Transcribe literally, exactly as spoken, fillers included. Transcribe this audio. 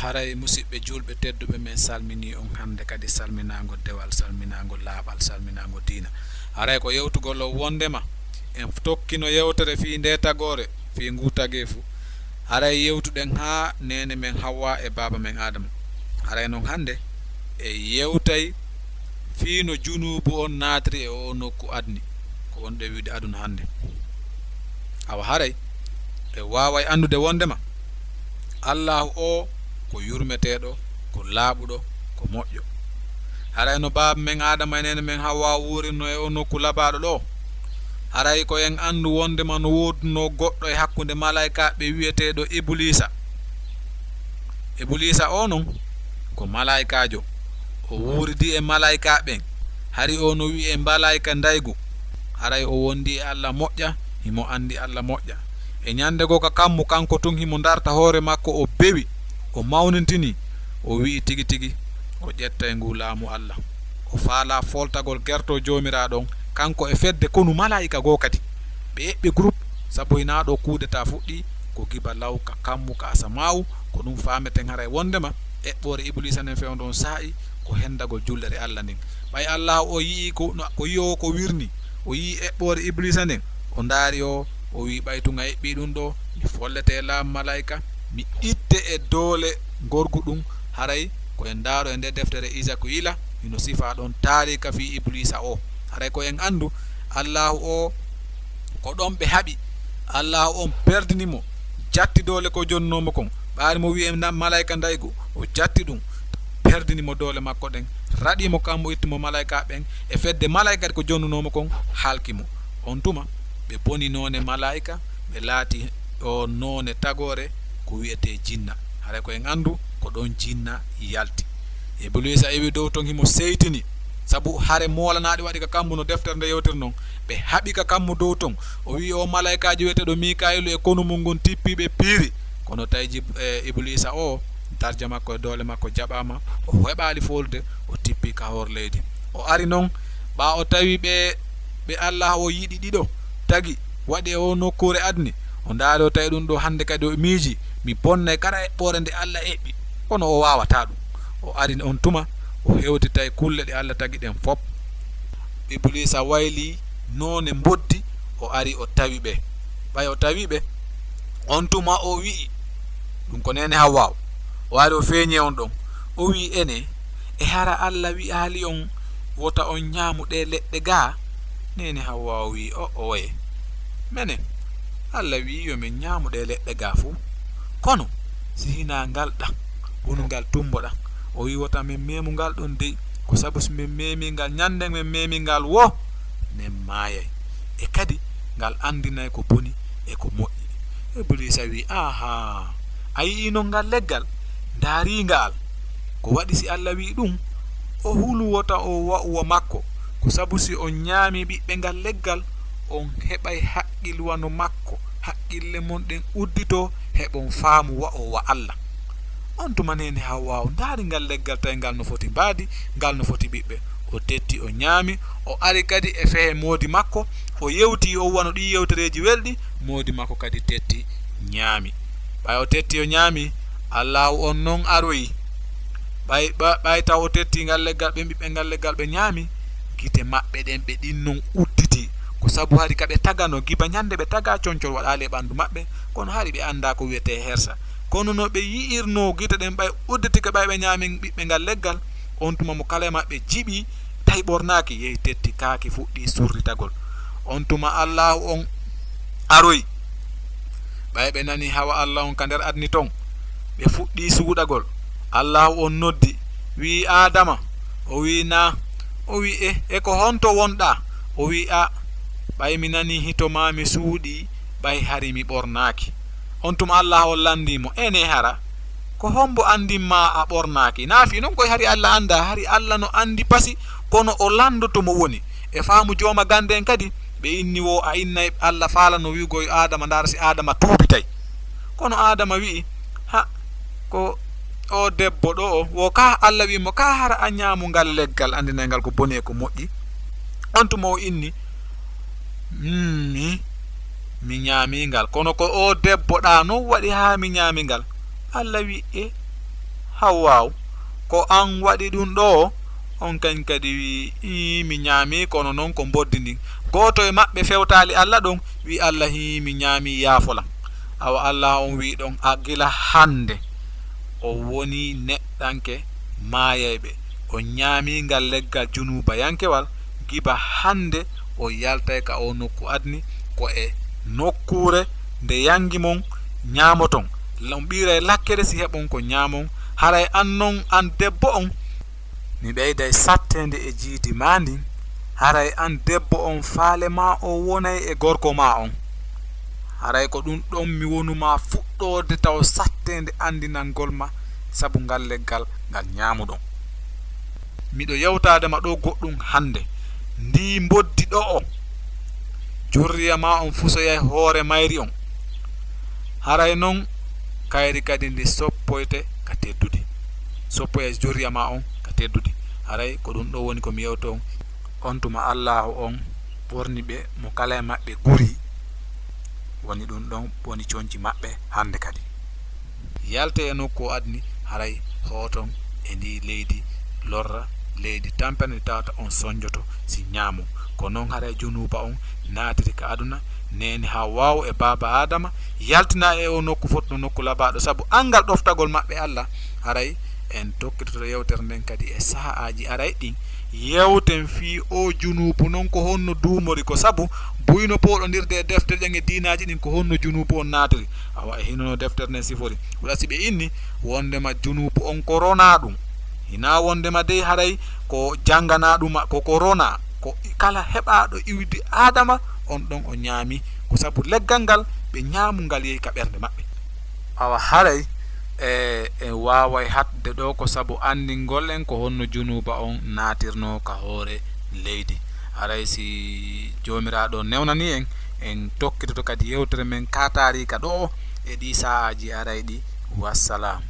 Haray, musiɓɓe julɓe tedduɓe, men salminii on hannde kadi salminaango dewal, salminaango laaɓal, salminaango diina. Haray ko yewtugol on wonndema en tokkino yewtere fii ndee tagoore, fii nguu tageefu. Haray yewtuɗen haa neene men Hawwa e baaba men Aadama. Haray non hannde e yewtay fii no junuubu on naatiri e oo nokku adni, ko wonɗen wiide aduna hannde. Awa haray e waaway anndude wonndema Allaahu oo ko yurmeteeɗo, ko laaɓuɗo, ko moƴƴo. Haray no baaba men Aadama e neene men Hawwa wuurinoo e oo nokku labaaɗo ɗoo, haray ko en anndu wonndema no woodunoo goɗɗo e hakkunde malaykaaɓe wi'eteeɗo Ibuliisa. Ibuliisa oo non ko malaykaajo, o wuuridi e malaykaaɓe ɓen, hari o no wi'ee malayka ndaygu. Haray o wondi e Alla moƴƴa, himo anndi Alla moƴƴa. E ñannde goo ka kammu, kanko tun himo darta hoore makko, o bewi, o mawnintinii, o wi'i tigi tigi o ƴettay nguu laamu Alla. O faalaa fooltagol gertoo Joomiraaɗo on, kanko e fedde konu malaa'ika goo kadi. Ɓe eɓɓi groupe, sabu hinaa ɗoo kuudetaa fuɗɗii, ko giba law ka kammu ka asamaawu. Ko ɗun faameten haray wonndema eɓɓoore Ibuliisa nden fewndo on saa'i ko hendagol jullere Alla nden. Ɓay Allaahu o yi'ii ko, no, ko yi'oowo ko wirnii, o yi'ii eɓɓoore Ibuliisa nden, o ndaari o, o wi'i, "Ɓay tun a eɓɓii ɗun ɗoo, mi follete e laamu malaa'ika, mi itte e doole ngorgu ɗun." Haray ko en ndaaro e ndee deftere Izakiyila, hino sifaa ɗon taariika fii Ibuliisa oo. Haray ko en anndu Allaahu oo, ko ɗon ɓe haɓi. Allaahu on perdini mo, jatti doole ko jonnunoo mo kon. Ɓaari mo wi'ee na-, malaa'ika ndaygu, o jatti ɗun, perdini mo doole makko ɗen, raɗii mo kammu, itti mo malaa'ika ɓen, e fedde malaa'ika ko jonnunoo mo kon, halki mo. On tuma, ɓe boni noone malaa'ika, ɓe laati o noone tagoore ko wi'etee jinna. Haray ko en anndu ko ɗon jinna yalti. Ibuliisa iwi dow ton, himo seytini, sabu hare moolanaaɗi waɗi ka kammu no deftere nde yewtiri non. Ɓe haɓi ka kammu dow ton. O wi'i o malaa'ikaajo wi'eteeɗo Miikaa'iilu e konu mun ngun tippii, ɓe piiri. Kono tawi Jib-, e, Ibuliisa o, darja makko e doole makko jaɓaama, o heɓaali foolude, o tippii ka hoore leydi. O ari non, ɓaa o tawi ɓe, ɓe Allaahu o yiɗi ɗiɗo tagi waɗi e oo nokkuure adni. O ndaari, o tawi ɗun ɗoo hannde kadi o miiji, "Mi bonnay kala eɓɓoore nde Alla eɓɓi." Kono o waawataa ɗun. O ari on tuma, o hewtitay kulle ɗe Alla tagi ɗen fop. Ibuliisa waylii noone mboddi, o ari o tawi ɓe. Ɓay o tawi ɓe, on tuma o wi'i, ɗun ko neene Hawwaawu. O ari o feeñi on ɗon. O wi'i, "Enee, e hara Alla wi'aali on wota on ñaamu ɗee leɗɗe gaa?" Neene Hawwaawu wi'i, "O'oye. Menen, Alla wi'i yo men ñaamu ɗee leɗɗe gaa fuu. Kono si hinaa ngal ɗan, wonu ngal tumbo ɗan." O wi'i, "Wota men meemu ngal ɗon dey, ko sabu si men meemii ngal, ñannden men meemii ngal woo, men maayay. E kadi ngal anndinay ko boni e ko moƴƴi." Ibuliisa wi'i, "Aahaa, a yi'ii non ngal leggal? Ndaarii ngal. Ko waɗi si Alla wi'i ɗun, o hulu wota o wa'u wa makko. Ko sabu si on ñaamii ɓiɓɓe ngal leggal, on heɓay haqqil wano makko. Haqqille mon ɗen udditoo, heɓon faamu wa'oo wa Alla." On tuma neene Hawwaawu ndaari ngal leggal, tawi ngal no foti mbaadi, ngal no foti ɓiɓɓe. O tetti, o ñaami, o ari kadi e fehe moodi makko, o yewti, o wano ɗii yewtereeji welɗi, moodi makko kadi tetti, ñaami. Ɓay o tetti, o ñaami, Allaahu on non aroyi. Ɓay, ɓa-, ɓay taw o tetti ngal leggal, ɓe ɓiɓɓe ngal leggal ɓe ñaami, gite maɓɓe ɗen ɓe ɗin non udditi. Ko sabu hari ka ɓe taganoo, giba ñande ɓe tagaa, concol waɗaali e ɓandu maɓɓe, kono hari ɓe anndaa ko wi'etee hersa. Kono no ɓe yi'irnoo gite ɗen ɓay udditike, ɓay ɓe ñaami ɓiɓɓe ngal leggal, on tuma mo kala e maɓɓe jiɓi, tawi ɓornaaki, yehi tetti kaaki, fuɗɗi surritagol. On tuma Allaahu on aroyi. Ɓay ɓe nani hawa Alla on ka nder adni ton, ɓe fuɗɗi suuɗagol. Allaahu on noddi, wi'i, "Aadama." O wi'i, "Naa." O wi'i, "E, e ko honto wonɗaa?" O wi'i, "A, ɓay mi nanii hito maa mi suuɗii, ɓay hari mi ɓornaaki." On tuma Allaahu on lanndii mo, "Enee hara, ko hombo anndin maa a ɓornaaki?" Naa fii non koy hari Alla anndaa, hari Alla no anndi pasi, kono o lanndoto mo woni. E faamu jooma gannde en kadi, ɓe inni woo a innay Alla faalano wi'ugol Aadama, ndaara si Aadama tuubitay. Kono Aadama wi'i, "Ha, ko o debbo ɗoo, wo ka Alla wi'i mo, ka hara a ñaamu ngal leggal anndinay ngal ko boni e ko moƴƴi?" On tuma o inni, "Mm, mi, mi ñaami ngal. Kono ko o debbo ɗaa non waɗi haa mi ñaami ngal." Alla wi'i, "E, Hawwaaw, ko aan waɗi ɗum ɗoo? On kañ kadi wi'i, "Ii, mi ñaamii, kono noon ko mboddi ndin." Gooto e maɓɓe fewtaali Alla ɗon, wi'i Alla, "Hii, mi ñaamii, yaafo lan." Awa Alla on wi'i ɗon, "A gila hannde o woni neɗɗanke maayayɓe, o ñaamii ngal leggal junuubayankewal, giba hannde o yaltay ka oo nokku adni, ko e nokkuure nde yangi mon ñaamoton. On ɓiiray lakkere si heɓon ko ñaamon. Haray an non, an debbo on, mi ɓeyday satteende e jiidi maa ndin. Haray an debbo on, faale maa o wonay e gorko maa on. Haray ko ɗum ɗon mi wonu maa fuɗɗoode taw satteende anndinangol ma sabu ngal leggal ngal ñaamuɗon. Miɗo yewtaade ma ɗoo goɗɗum hannde. Ndii mboddi ɗo'o, jurriya maa on fusoyay hoore mayri on. Haray non kayri kadi ndi soppoyte ka teddudi. Soppoyay jurriya maa on ka teddudi." Haray ko ɗum ɗoo woni ko mi yewto on. On tuma Allaahu on ɓorni ɓe mo kala e maɓɓe guri, woni ɗum ɗon woni conci maɓɓe hannde kadi. Yalte e nokku o adni, haray hooton e ndi leydi lorra, leydi tampere ndi tawata on sonjoto si ñaamo. Ko non haray junuuba on naatiri ka aduna, neene Hawwaawu e baaba Aadama yaltina e o nokku fotno nokku labaaɗo, sabu anngal ɗoftagol maɓɓe Alla. Haray en tokkitoto yewtere nden kadi e sahaaji aray ɗin. Yewten fii o junuubu non, ko honno duumori, ko sabu buyno pooɗondirde e defte ɗen e diinaaji ɗin, ko honno junuubu on naatiri. Awa e hino no deftere nden sifori. Wala si ɓe inni wondema junuubu on ko ronaa ɗum. Hinaa wondema dey haray ko jannganaa ɗum, ko, ko ronaa. Ko kala heɓaaɗo iwdi Aadama, on ɗon o ñaami. Ko sabu leggal ngal ɓe ñaamu ngal yehi ka ɓernde maɓɓe. Awa haray e, en waaway haɗde ɗoo ko sabu anndingol en ko honno junuuba on naatirnoo ka hoore leydi. Haray si Joomiraaɗo newnanii en, en tokkitoto kadi yewtere men ka taariika ɗoo e ɗii sahaaji aray ɗi. Wassalam.